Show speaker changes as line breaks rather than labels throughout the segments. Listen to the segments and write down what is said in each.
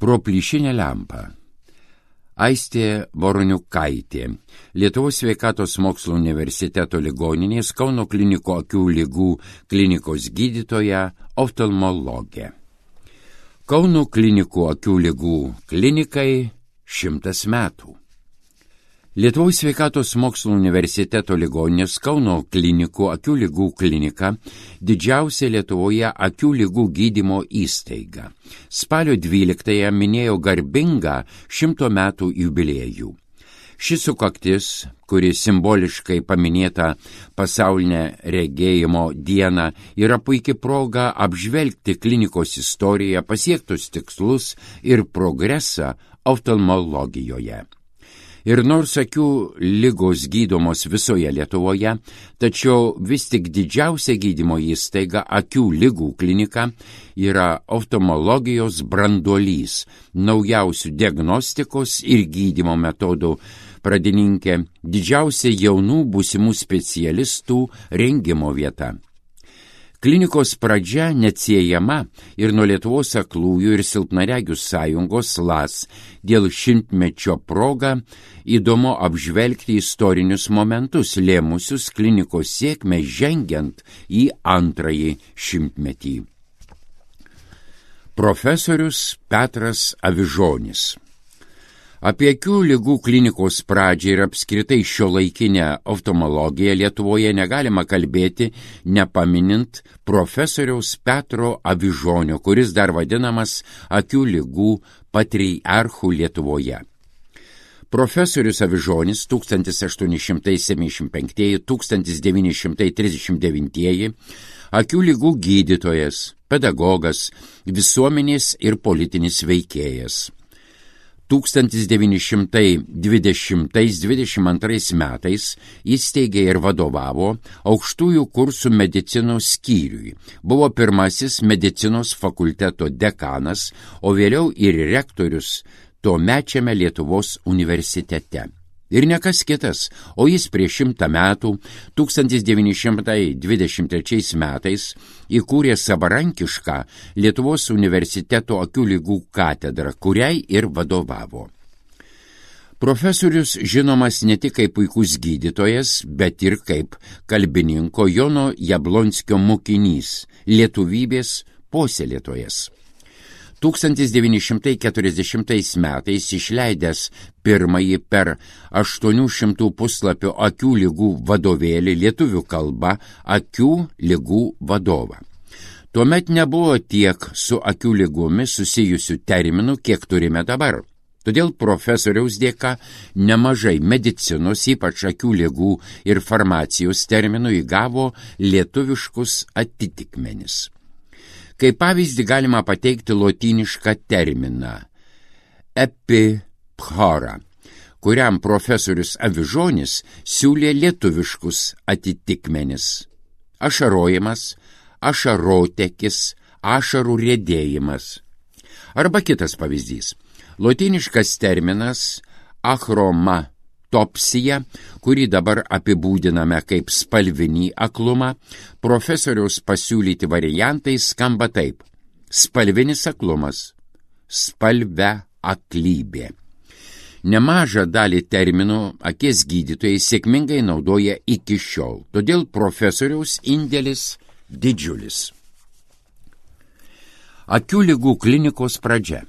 Pro plyšinę lempą. Aistė Voroniukaitė, Lietuvos sveikatos mokslo universiteto ligoninės Kauno klinikų akių ligų klinikos gydytoja, oftalmologė. Kauno klinikų akių ligų klinikai 100 metų. Lietuvos sveikatos mokslo universiteto ligoninės Kauno klinikų akių ligų klinika didžiausia Lietuvoje akių ligų gydymo įstaiga. Spalio 12-ąją minėjo garbingą 100 metų jubiliejų. Ši sukaktis, kuri simboliškai paminėta pasaulinę regėjimo dieną, yra puikia proga apžvelgti klinikos istoriją, pasiektus tikslus ir progresą oftalmologijoje. Ir nors akių ligos gydomos visoje Lietuvoje, tačiau vis tik didžiausia gydymo įstaiga akių ligų klinika yra oftalmologijos branduolys, naujausių diagnostikos ir gydymo metodų pradininkė, didžiausia jaunų būsimų specialistų rengimo vieta. Klinikos pradžia neatsiejama ir nuo Lietuvos aklųjų ir silpnaregių sąjungos LAS dėl 100-mečio proga įdomu apžvelgti istorinius momentus, lėmusius klinikos sėkmę žengiant į antrąjį 100-metį. Profesorius Petras Avižonis. Apie akių ligų klinikos pradžią ir apskritai šiuolaikinę oftalmologiją Lietuvoje negalima kalbėti, nepaminint profesoriaus Petro Avižonio, kuris dar vadinamas akių ligų patriarchu Lietuvoje. Profesorius Avižonis 1875–1939 akių ligų gydytojas, pedagogas, visuomenės ir politinis veikėjas. 1920–22 metais įsteigė ir vadovavo aukštųjų kursų medicinos skyriui, buvo pirmasis medicinos fakulteto dekanas, o vėliau ir rektorius tuomečiame Lietuvos universitete. Ir ne kas kitas, o jis prieš 100 metų, 1923 metais, įkūrė savarankišką Lietuvos universiteto akių ligų katedrą, kuriai ir vadovavo. Profesorius žinomas ne tik kaip puikus gydytojas, bet ir kaip kalbininko Jono Jablonskio mokinys, lietuvybės puoselėtojas. 1940 metais išleidęs pirmąjį per 800 puslapių akių ligų vadovėlį lietuvių kalba akių ligų vadovą. Tuomet nebuvo tiek su akių lygomis susijusių terminų, kiek turime dabar. Todėl profesoriaus dėka nemažai medicinos, ypač akių ligų ir farmacijos terminų įgavo lietuviškus atitikmenis. Kaip pavyzdį galima pateikti lotynišką terminą epiphora, kuriam profesorius Avižonis siūlė lietuviškus atitikmenis. Ašarojimas, ašarotekis, ašarų riedėjimas. Arba kitas pavyzdys. Lotyniškas terminas achromatopsija, kurį dabar apibūdiname kaip spalvinį aklumą, profesoriaus pasiūlyti variantai skamba taip: spalvinis aklumas, spalve aklybė. Nemažą dalį terminų akies gydytojai sėkmingai naudoja iki šiol, todėl profesoriaus indėlis didžiulis. Akių ligų klinikos pradžia.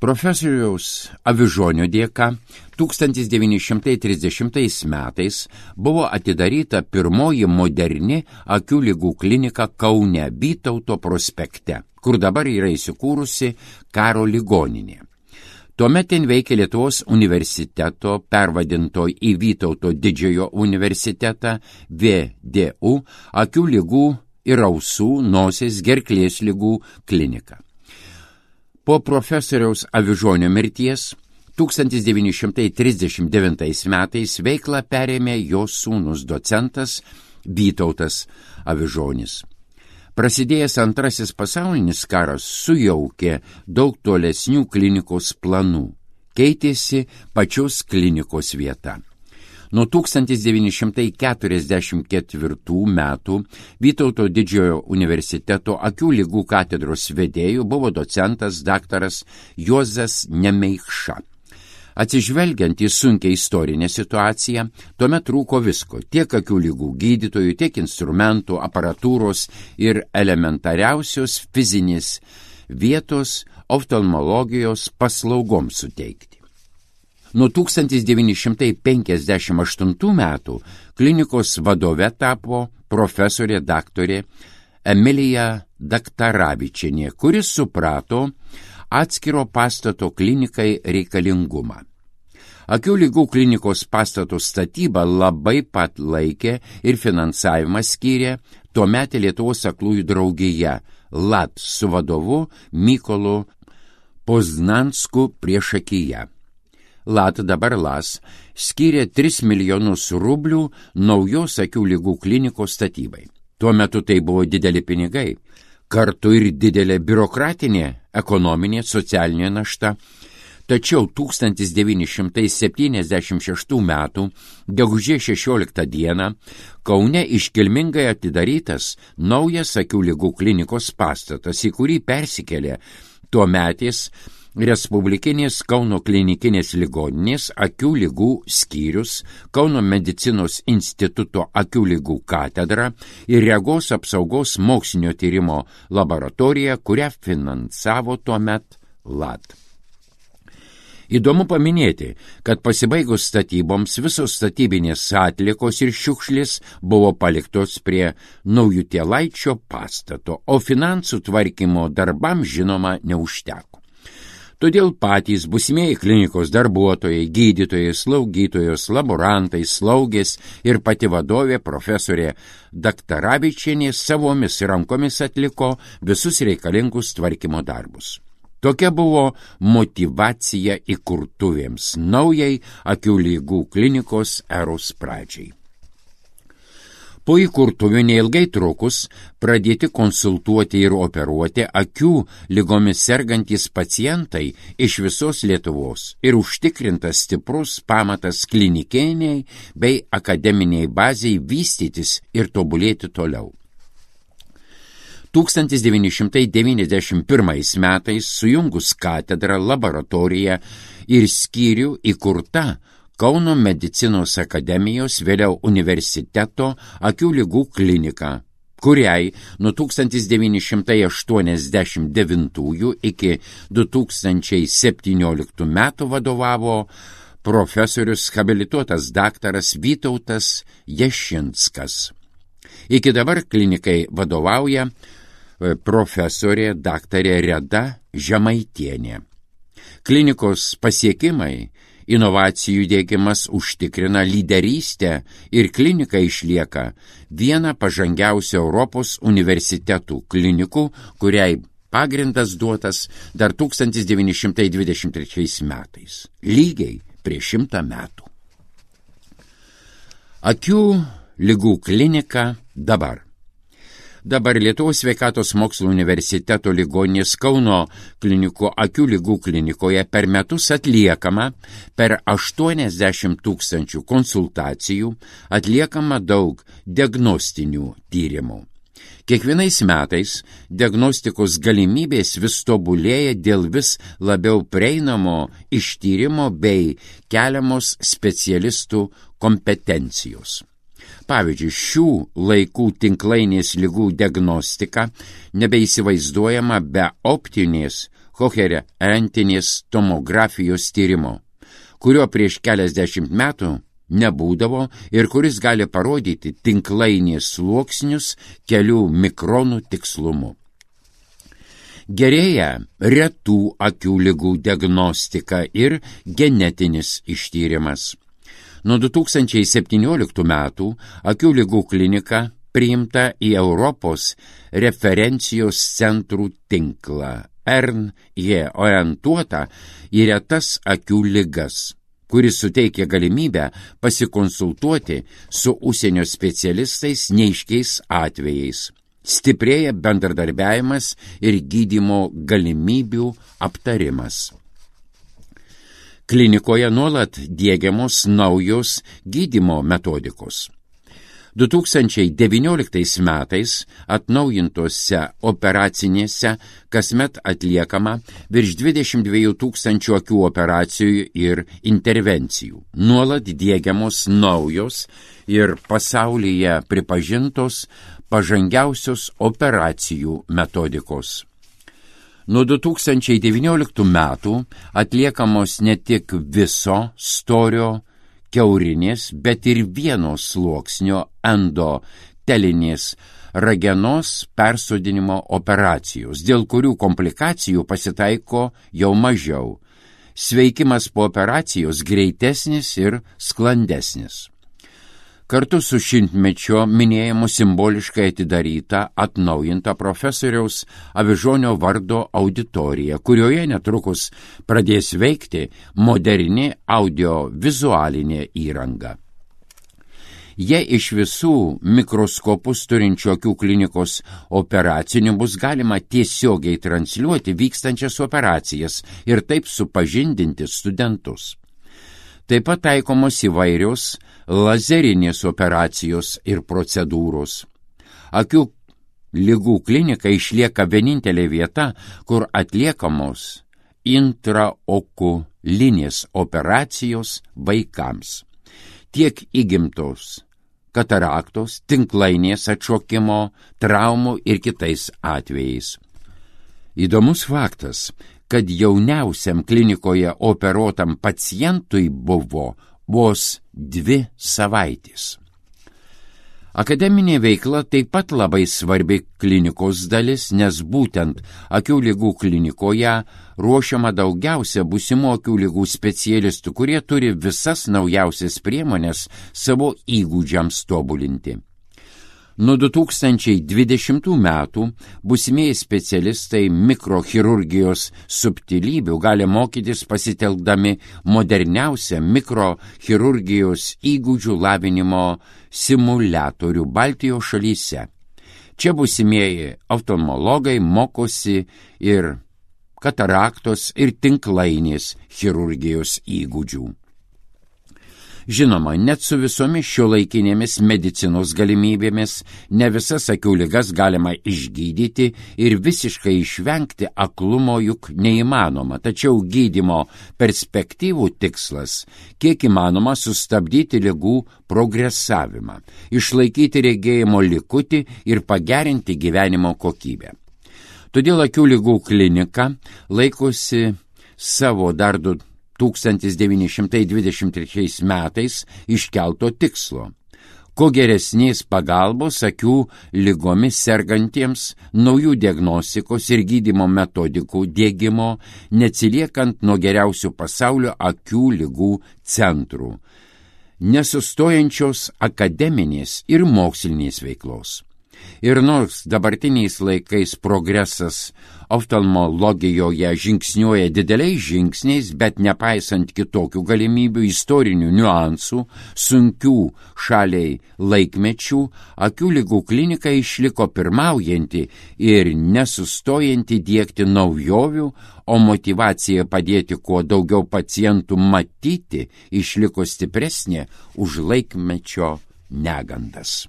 Profesoriaus Avižonio dėka 1930 metais buvo atidaryta pirmoji moderni akių ligų klinika Kaune Vytauto prospekte, kur dabar yra įsikūrusi Karo ligoninė. Tuomet ten veikė Lietuvos universiteto, pervadinto į Vytauto didžiojo universitetą VDU, akių ligų ir ausų, nosies, gerklės ligų klinika. Po profesoriaus Avižonio mirties 1939 metais veiklą perėmė jo sūnus docentas Vytautas Avižonis. Prasidėjęs Antrasis pasaulinis karas sujaukė daug tolesnių klinikos planų, keitėsi pačios klinikos vieta. Nuo 1944 metų Vytauto didžiojo universiteto akių lygų katedros vedėjų buvo docentas daktaras Juozas Nemeikša. Atsižvelgiant į sunkią istorinę situaciją, tuomet trūko visko – tiek akių lygų gydytojų, tiek instrumentų, aparatūros ir elementariausios fizinės vietos oftalmologijos paslaugoms suteikti. Nuo 1958 metų klinikos vadove tapo profesorė daktarė Emilija Daktaravičienė, kuris suprato atskiro pastato klinikai reikalingumą. Akių lygų klinikos pastato statybą labai pat laikė ir finansavimą skyrė tuometė Lietuvos aklųjų draugija LAT su vadovu Mykolu Poznansku priešakyje. LAT, dabar LAS, skyrė 3 milijonus rublių naujos akių lygų klinikos statybai. Tuo metu tai buvo dideli pinigai, kartu ir didelė biurokratinė, ekonominė, socialinė našta. Tačiau 1976 metų gegužės 16 dieną Kaune iškilmingai atidarytas naujas akių lygų klinikos pastatas, į kurį persikėlė tuometis Respublikinės Kauno klinikinės ligoninės akių lygų skyrius, Kauno medicinos instituto akių lygų katedra ir regos apsaugos mokslinio tyrimo laboratorija, kurią finansavo tuomet LAT. Įdomu paminėti, kad pasibaigus statyboms visos statybinės atliekos ir šiukšlės buvo paliktos prie Naujutėlaičio pastato, o finansų tvarkymo darbams žinoma neužteko. Todėl patys būsimieji klinikos darbuotojai, gydytojai, slaugytojos, laborantai, slaugės ir pati vadovė profesorė Daktaravičienė savomis rankomis atliko visus reikalingus tvarkymo darbus. Tokia buvo motyvacija įkurtuvėms naujai akių lygų klinikos eros pradžiai. Po įkurtuvių neilgai trukus pradėti konsultuoti ir operuoti akių ligomis sergantys pacientai iš visos Lietuvos ir užtikrintas stiprus pamatas klinikiniai bei akademiniai baziai vystytis ir tobulėti toliau. 1991 metais sujungus katedrą, laboratoriją ir skyrių įkurta Kauno medicinos akademijos, vėliau universiteto akių lygų klinika, kuriai nuo 1989 iki 2017 metų vadovavo profesorius habilituotas daktaras Vytautas Jašinskas. Iki dabar klinikai vadovauja profesorė daktarė Reda Žemaitienė. Klinikos pasiekimai, inovacijų diegimas užtikrina lyderystę ir klinika išlieka viena pažangiausių Europos universitetų klinikų, kuriai pagrindas duotas dar 1923 metais, lygiai prieš 100 metų. Akių ligų klinika dabar. Dabar Lietuvos sveikatos mokslo universiteto ligoninės Kauno klinikų akių lygų klinikoje per metus atliekama per 80 000 konsultacijų, atliekama daug diagnostinių tyrimų. Kiekvienais metais diagnostikos galimybės vis tobulėja dėl vis labiau prieinamo ištyrimo bei keliamos specialistų kompetencijos. Pavyzdžiui, šių laikų tinklainės ligų diagnostika nebeįsivaizduojama be optinės koherentinės tomografijos tyrimo, kurio prieš keliasdešimt metų nebūdavo ir kuris gali parodyti tinklainės sluoksnius kelių mikronų tikslumu. Gerėja retų akių ligų diagnostika ir genetinis ištyrimas. Nuo 2017 metų akių ligų klinika priimta į Europos referencijos centrų tinklą ERN, jie orientuota į retas akių ligas, kuris suteikia galimybę pasikonsultuoti su užsienio specialistais neaiškiais atvejais. Stiprėja bendradarbiavimas ir gydymo galimybių aptarimas. Klinikoje nuolat diegiamos naujos gydymo metodikos. 2019 metais atnaujintose operacinėse kasmet atliekama virš 22 000 akių operacijų ir intervencijų. Nuolat diegiamos naujos ir pasaulyje pripažintos pažangiausios operacijų metodikos. Nuo 2019 metų atliekamos ne tik viso storio kiaurinės, bet ir vieno sluoksnio endotelinės ragenos persodinimo operacijos, dėl kurių komplikacijų pasitaiko jau mažiau. Sveikimas po operacijos greitesnis ir sklandesnis. Kartu su šimtmečio minėjimu simboliškai atidaryta atnaujinta profesoriaus Avižonio vardo auditorija, kurioje netrukus pradės veikti moderni audiovizualinė įranga. Jei iš visų mikroskopus turinčių akių klinikos operacinių bus galima tiesiogiai transliuoti vykstančias operacijas ir taip supažindinti studentus. Taip pat taikomos įvairios lazerinės operacijos ir procedūros. Akių ligų klinika išlieka vienintelė vieta, kur atliekamos intraokulinės operacijos vaikams. Tiek įgimtos kataraktos, tinklainės atšokimo, traumų ir kitais atvejais. Įdomus faktas, kad jauniausiam klinikoje operuotam pacientui buvo vos 2 savaitės. Akademinė veikla taip pat labai svarbi klinikos dalis, nes būtent akių ligų klinikoje ruošiama daugiausia būsimų akių ligų specialistų, kurie turi visas naujausias priemonės savo įgūdžiams tobulinti. Nuo 2020 metų būsimieji specialistai mikrochirurgijos subtilybių gali mokytis pasitelkdami moderniausią mikrochirurgijos įgūdžių lavinimo simuliatorių Baltijos šalyse. Čia būsimieji oftalmologai mokosi ir kataraktos ir tinklainės chirurgijos įgūdžių. Žinoma, net su visomis šiuolaikinėmis medicinos galimybėmis ne visas akių ligas galima išgydyti ir visiškai išvengti aklumo juk neįmanoma, tačiau gydymo perspektyvų tikslas kiek įmanoma sustabdyti ligų progresavimą, išlaikyti regėjimo likutį ir pagerinti gyvenimo kokybę. Todėl akių ligų klinika laikosi savo dar 1923 metais iškelto tikslo. Kuo geresnės pagalbos akių ligomis sergantiems, naujų diagnostikos ir gydymo metodikų diegimo, neatsiliekant nuo geriausių pasaulio akių ligų centrų, nesustojančios akademinės ir mokslinės veiklos. Ir nors dabartiniais laikais progresas oftalmologijoje žingsniuoja dideliais žingsniais, bet nepaisant kitokių galimybių, istorinių niuansų, sunkių šaliai laikmečių, akių ligų klinika išliko pirmaujanti ir nesustojanti diegti naujovių, o motyvacija padėti kuo daugiau pacientų matyti išliko stipresnė už laikmečio negandas.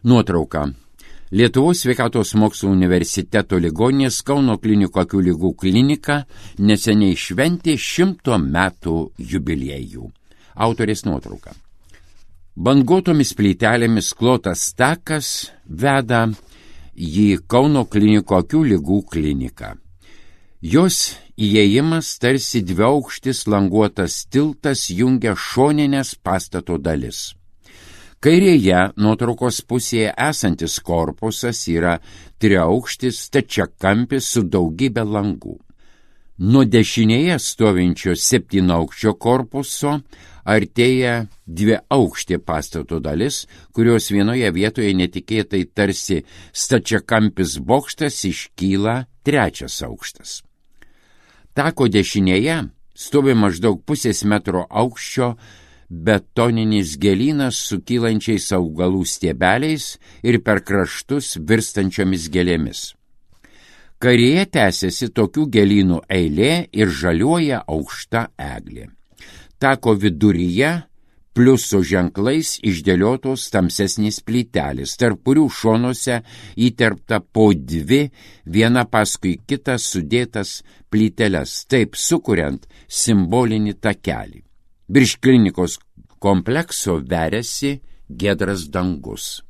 Nuotrauka. Lietuvos sveikatos mokslų universiteto ligoninės Kauno klinikų akių ligų klinika neseniai šventė 100 metų jubiliejų. Autorės nuotrauka. Banguotomis plytelėmis klotas takas veda į Kauno klinikų akių ligų kliniką. Jos įėjimas tarsi dviaukštis languotas tiltas jungia šoninės pastato dalis. Kairėje nuotraukos pusėje esantis korpusas yra triaukštis stačiakampis su daugybė langų. Nuo dešinėje stovinčio 7-aukščio korpuso artėja 2-aukštė pastato dalis, kurios vienoje vietoje netikėtai tarsi stačiakampis bokštas iškyla 3 aukštas. Tako dešinėje stovi maždaug 0,5 metro aukščio betoninis gėlynas su kylančiais augalų stiebeliais ir per kraštus virstančiomis gėlėmis. Kairėje tęsiasi tokių gėlynų eilė ir žaliuoja aukšta eglė. Tako viduryje pliuso ženklais išdėliotos tamsesnės plytelės, tarp kurių šonuose įterpta po dvi, viena paskui kitą sudėtas plyteles, taip sukuriant simbolinį takelį. Virš klinikos komplekso veriasi giedras dangus.